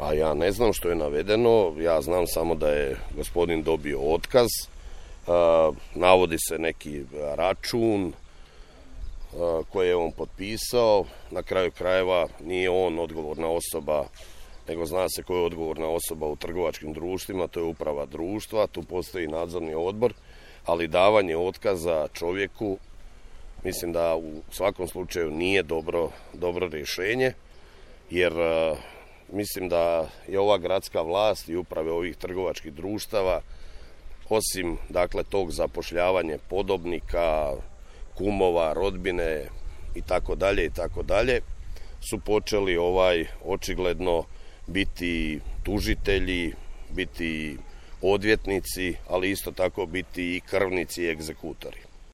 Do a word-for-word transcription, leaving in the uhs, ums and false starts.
A ja ne znam što je navedeno, ja znam samo da je gospodin dobio otkaz, navodi se neki račun koje je on potpisao, na kraju krajeva nije on odgovorna osoba, nego zna se ko je odgovorna osoba u trgovačkim društvima, to je uprava društva, tu postoji nadzorni odbor, ali davanje otkaza čovjeku mislim da u svakom slučaju nije dobro, dobro rješenje, jer mislim da je ova gradska vlast i uprave ovih trgovačkih društava, osim dakle tog zapošljavanja podobnika, kumova, rodbine i tako dalje i tako dalje, su počeli ovaj očigledno biti tužitelji, biti odvjetnici, ali isto tako biti i krvnici i egzekutori.